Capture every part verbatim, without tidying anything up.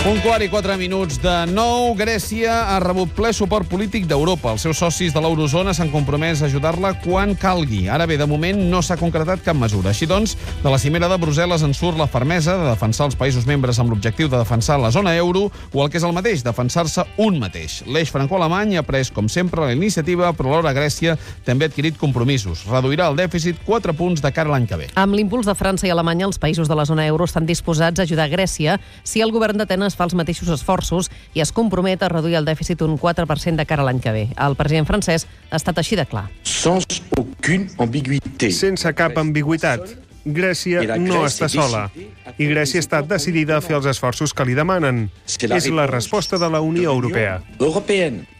Un quart i quatre minuts de nou. Grècia ha rebut ple suport polític d'Europa. Els seus socis de l'eurozona s'han compromès a ajudar-la quan calgui. Ara bé, de moment no s'ha concretat cap mesura. Així doncs, de la cimera de Brussel·les en surt la fermesa de defensar els països membres amb l'objectiu de defensar la zona euro o el que és el mateix, defensar-se un mateix. L'eix franco-alemany ha pres, com sempre, la iniciativa, però alhora Grècia també ha adquirit compromisos. Reduirà el dèficit quatre punts de cara a l'any que ve. Amb l'impuls de França i Alemanya, els països de la zona euro estan disposats a ajudar Grècia si el govern d'Atenes fa els mateixos esforços i es compromet a reduir el dèficit un quatre per cent de cara a l'any que ve. El president francès ha estat així de clar. Sense cap ambigüitat. Grècia no està sola i Grècia ha estat decidida a fer els esforços que li demanen. És la resposta de la Unió Europea.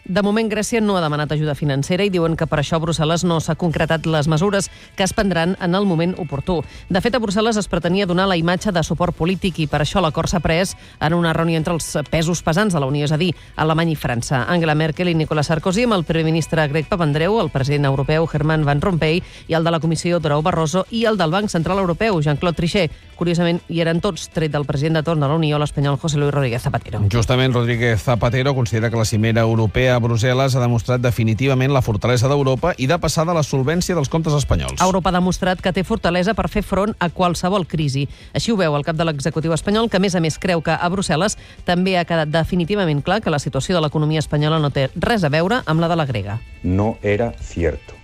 De moment, Grècia no ha demanat ajuda financera i diuen que per això a Brussel·les no s'ha concretat les mesures que es prendran en el moment oportú. De fet, a Brussel·les es pretenia donar la imatge de suport polític i per això l'acord s'ha pres en una reunió entre els pesos pesants de la Unió, és a dir, Alemanya i França. Angela Merkel i Nicolas Sarkozy amb el primer ministre grec Papandreou, el president europeu Herman Van Rompuy i el de la Comissió Durão Barroso i el del Banc Central Europeu, Jean-Claude Trichet. Curiosament, hi eren tots, tret del president de torn de la Unió, l'espanyol José Luis Rodríguez Zapatero. Justament, Rodríguez Zapatero considera que la cimera europea a Brussel·les ha demostrat definitivament la fortalesa d'Europa i de passar de la solvència dels comptes espanyols. Europa ha demostrat que té fortalesa per fer front a qualsevol crisi. Així ho veu el cap de l'executiu espanyol, que a més a més creu que a Brussel·les també ha quedat definitivament clar que la situació de l'economia espanyola no té res a veure amb la de la grega. No era cierto.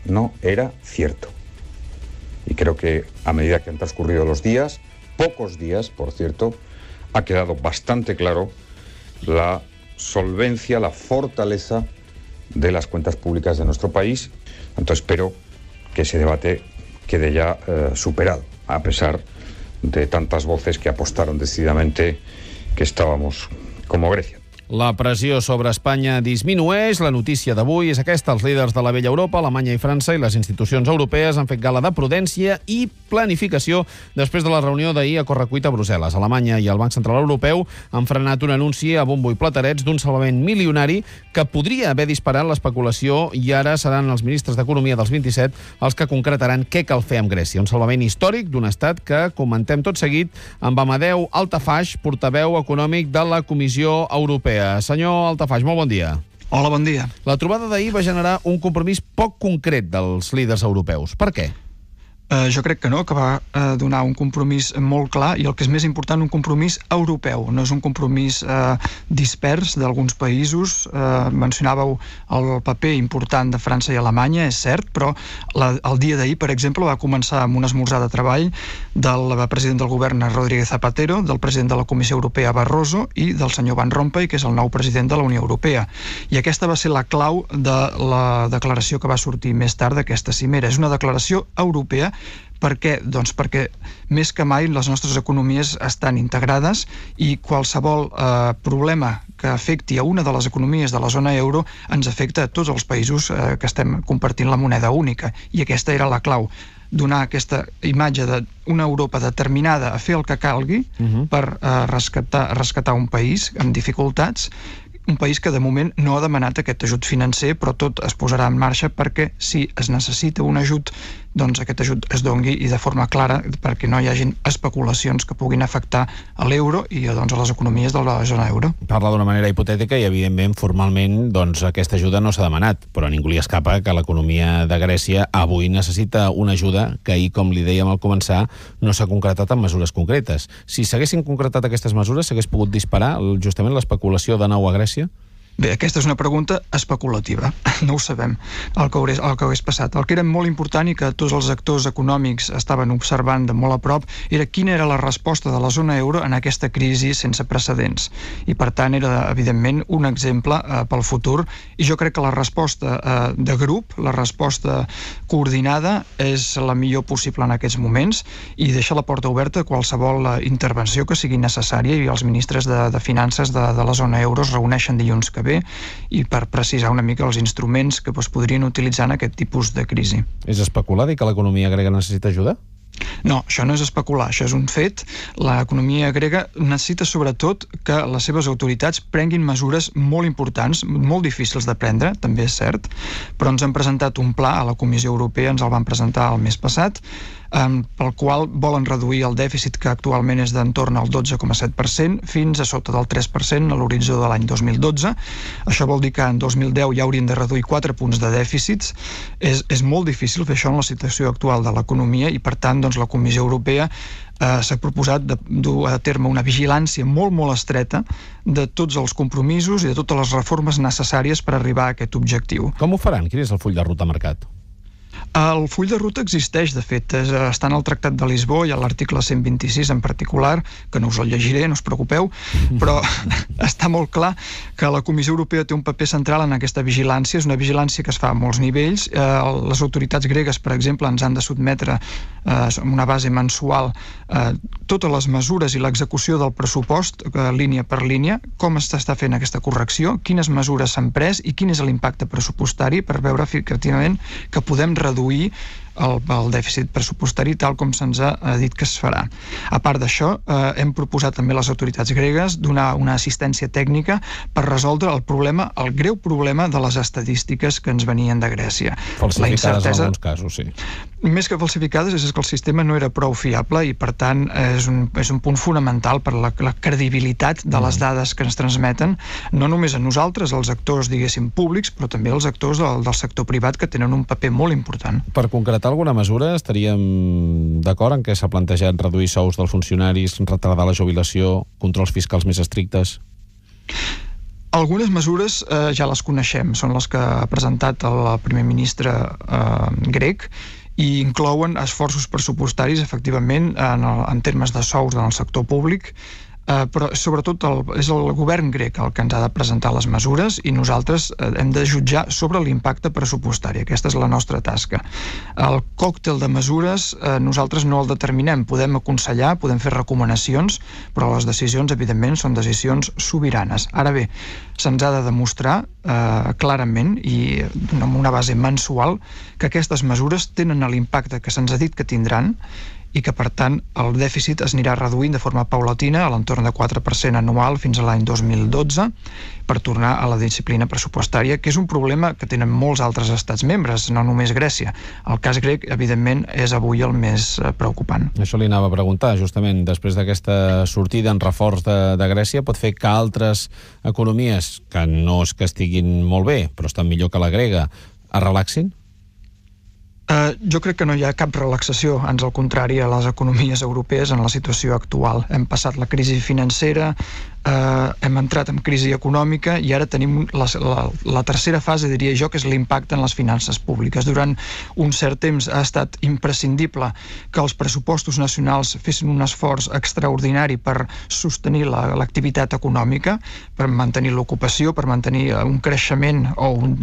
No era cierto. Y creo que a medida que han transcurrido los días, pocos días, por cierto, ha quedado bastante claro la solvencia, la fortaleza de las cuentas públicas de nuestro país. Entonces espero que ese debate quede ya eh, superado, a pesar de tantas voces que apostaron decididamente que estábamos como Grecia. La pressió sobre Espanya disminueix. La notícia d'avui és aquesta. Els líders de la vella Europa, Alemanya i França i les institucions europees han fet gala de prudència i planificació després de la reunió d'ahir a correcuita a Brussel·les. Alemanya i el Banc Central Europeu han frenat un anunci a bombo i platerets d'un salvament milionari que podria haver disparat l'especulació i ara seran els ministres d'Economia dels vint-i-set els que concretaran què cal fer amb Grècia. Un salvament històric d'un estat que comentem tot seguit amb Amadeu Altafaj, portaveu econòmic de la Comissió Europea. Senyor Altafaj, molt bon dia. Hola, bon dia. La trobada d'ahir va generar un compromís poc concret dels líders europeus. Per què? Uh, jo crec que no, que va uh, donar un compromís molt clar i el que és més important, un compromís europeu. No és un compromís uh, dispers d'alguns països. Uh, mencionàveu el paper important de França i Alemanya, és cert, però la, el dia d'ahir, per exemple, va començar amb un esmorzar de treball del president del govern Rodríguez Zapatero, del president de la Comissió Europea Barroso i del senyor Van Rompuy, que és el nou president de la Unió Europea. I aquesta va ser la clau de la declaració que va sortir més tard d'aquesta cimera. És una declaració europea. Per què? Doncs perquè més que mai les nostres economies estan integrades i qualsevol eh, problema que afecti a una de les economies de la zona euro ens afecta a tots els països eh, que estem compartint la moneda única. I aquesta era la clau, donar aquesta imatge d'una Europa determinada a fer el que calgui uh-huh. per eh, rescatar, rescatar un país amb dificultats, un país que de moment no ha demanat aquest ajut financer, però tot es posarà en marxa perquè si es necessita un ajut, doncs aquest ajut es dongui i de forma clara perquè no hi hagin especulacions que puguin afectar a l'euro i doncs, a les economies de la zona euro. Parla d'una manera hipotètica i evidentment formalment doncs, aquesta ajuda no s'ha demanat, però a ningú li escapa que l'economia de Grècia avui necessita una ajuda que ahir, com li dèiem al començar, no s'ha concretat en mesures concretes. Si s'haguessin concretat aquestes mesures, s'hagués pogut disparar justament l'especulació de nou a Grècia? Bé, aquesta és una pregunta especulativa. No ho sabem, el que, hagués, el que hagués passat. El que era molt important i que tots els actors econòmics estaven observant de molt a prop era quina era la resposta de la zona euro en aquesta crisi sense precedents. I, per tant, era, evidentment, un exemple eh, pel futur. I jo crec que la resposta eh, de grup, la resposta coordinada, és la millor possible en aquests moments i deixa la porta oberta a qualsevol eh, intervenció que sigui necessària i els ministres de, de Finances de, de la zona euro es reuneixen dilluns que ve i per precisar una mica els instruments que es podrien utilitzar en aquest tipus de crisi. És especular dir que l'economia grega necessita ajuda? No, això no és especular, això és un fet. L'economia grega necessita sobretot que les seves autoritats prenguin mesures molt importants, molt difícils de prendre, també és cert, però ens han presentat un pla a la Comissió Europea, ens el van presentar el mes passat, pel qual volen reduir el dèficit, que actualment és d'entorn al dotze coma set per cent, fins a sota del tres per cent a l'horitzó de l'any dos mil dotze. Això vol dir que en dos mil deu ja haurien de reduir quatre punts de dèficits. És, és molt difícil fer això en la situació actual de l'economia i, per tant, doncs, la Comissió Europea eh, s'ha proposat de dur a terme una vigilància molt, molt estreta de tots els compromisos i de totes les reformes necessàries per arribar a aquest objectiu. Com ho faran? Quin és el full de ruta marcat? El full de ruta existeix, de fet, està en el Tractat de Lisboa i a l'article cent vint-i-sis en particular, que no us el llegiré, no us preocupeu, però està molt clar que la Comissió Europea té un paper central en aquesta vigilància. És una vigilància que es fa a molts nivells. Les autoritats gregues, per exemple, ens han de sotmetre en una base mensual totes les mesures i l'execució del pressupost, línia per línia, com s'està fent aquesta correcció, quines mesures s'han pres i quin és l'impacte pressupostari, per veure efectivament que podem reduir El, el dèficit pressupostari tal com se'ns ha dit que es farà. A part d'això, eh, hem proposat també a les autoritats gregues donar una assistència tècnica per resoldre el problema, el greu problema de les estadístiques que ens venien de Grècia. Falsificades incertesa... en alguns casos, sí. Més que falsificades és que el sistema no era prou fiable i, per tant, és un, és un punt fonamental per la, la credibilitat de les dades que ens transmeten, no només a nosaltres, els actors, diguéssim, públics, però també els actors del, del sector privat, que tenen un paper molt important. Per concretar alguna mesura, estaríem d'acord en què s'ha plantejat reduir sous dels funcionaris, retardar la jubilació, controls fiscals més estrictes? Algunes mesures eh, ja les coneixem, són les que ha presentat el primer ministre eh, grec, i inclouen esforços pressupostaris, efectivament, en, el, en termes de sous en el sector públic, Uh, però sobretot el, és el govern grec el que ens ha de presentar les mesures i nosaltres uh, hem de jutjar sobre l'impacte pressupostari. Aquesta és la nostra tasca. El còctel de mesures uh, nosaltres no el determinem. Podem aconsellar, podem fer recomanacions, però les decisions, evidentment, són decisions sobiranes. Ara bé, se'ns ha de demostrar uh, clarament i amb una base mensual que aquestes mesures tenen l'impacte que se'ns ha dit que tindran i que, per tant, el dèficit es anirà reduint de forma paulatina a l'entorn de quatre per cent anual fins a l'any dos mil dotze per tornar a la disciplina pressupostària, que és un problema que tenen molts altres estats membres, no només Grècia. El cas grec, evidentment, és avui el més preocupant. Això li anava a preguntar, justament, després d'aquesta sortida en reforç de, de Grècia, pot fer que altres economies, que no és que estiguin molt bé, però estan millor que la grega, es relaxin? Uh, jo crec que no hi ha cap relaxació, ans al contrari, a les economies europees en la situació actual. Hem passat la crisi financera, uh, hem entrat en crisi econòmica i ara tenim la, la, la tercera fase, diria jo, que és l'impacte en les finances públiques. Durant un cert temps ha estat imprescindible que els pressupostos nacionals fessin un esforç extraordinari per sostenir la, l'activitat econòmica, per mantenir l'ocupació, per mantenir un creixement o un,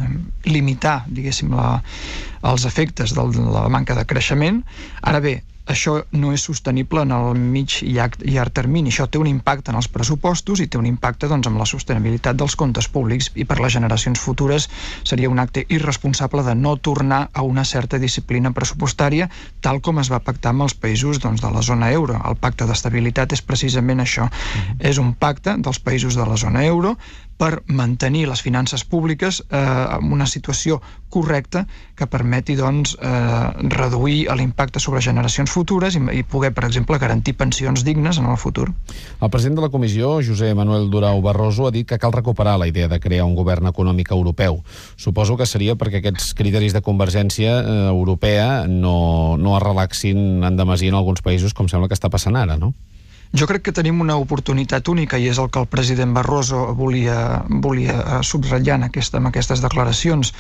limitar, diguéssim, la, els efectes de la manca de creixement. Ara bé, això no és sostenible en el mig i llarg termini. Això té un impacte en els pressupostos i té un impacte, doncs, en la sostenibilitat dels comptes públics, i per les generacions futures seria un acte irresponsable de no tornar a una certa disciplina pressupostària tal com es va pactar amb els països, doncs, de la zona euro. El pacte d'estabilitat és precisament això. Mm-hmm. És un pacte dels països de la zona euro per mantenir les finances públiques eh, en una situació correcta que permeti, doncs, eh, reduir l'impacte sobre generacions futures i, i poder, per exemple, garantir pensions dignes en el futur. El president de la Comissió, José Manuel Durão Barroso, ha dit que cal recuperar la idea de crear un govern econòmic europeu. Suposo que seria perquè aquests criteris de convergència eh, europea no, no es relaxin en demasí en alguns països, com sembla que està passant ara, no? Jo crec que tenim una oportunitat única i és el que el president Barroso volia, volia subratllar en, aquesta, en aquestes declaracions.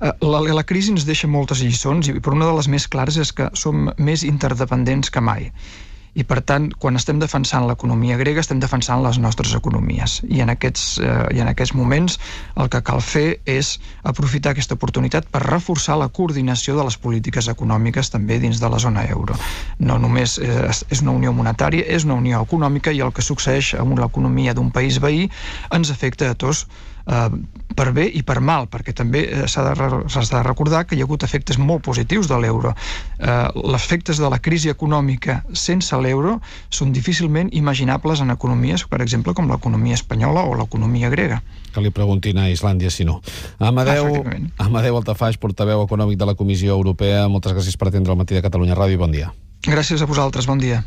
La, la crisi ens deixa moltes lliçons i per una de les més clares és que som més interdependents que mai. I, per tant, quan estem defensant l'economia grega, estem defensant les nostres economies. I en aquests, eh, i en aquests moments el que cal fer és aprofitar aquesta oportunitat per reforçar la coordinació de les polítiques econòmiques també dins de la zona euro. No només eh, és una unió monetària, és una unió econòmica, i el que succeeix amb l'economia d'un país veí ens afecta a tots, Uh, per bé i per mal, perquè també uh, s'ha de, s'ha de recordar que hi ha hagut efectes molt positius de l'euro. Uh, els efectes de la crisi econòmica sense l'euro són difícilment imaginables en economies, per exemple, com l'economia espanyola o l'economia grega. Que li preguntin a Islàndia si no. Amadeu, Amadeu Altafaix, portaveu econòmic de la Comissió Europea, moltes gràcies per atendre el Matí de Catalunya Ràdio i bon dia. Gràcies a vosaltres, bon dia.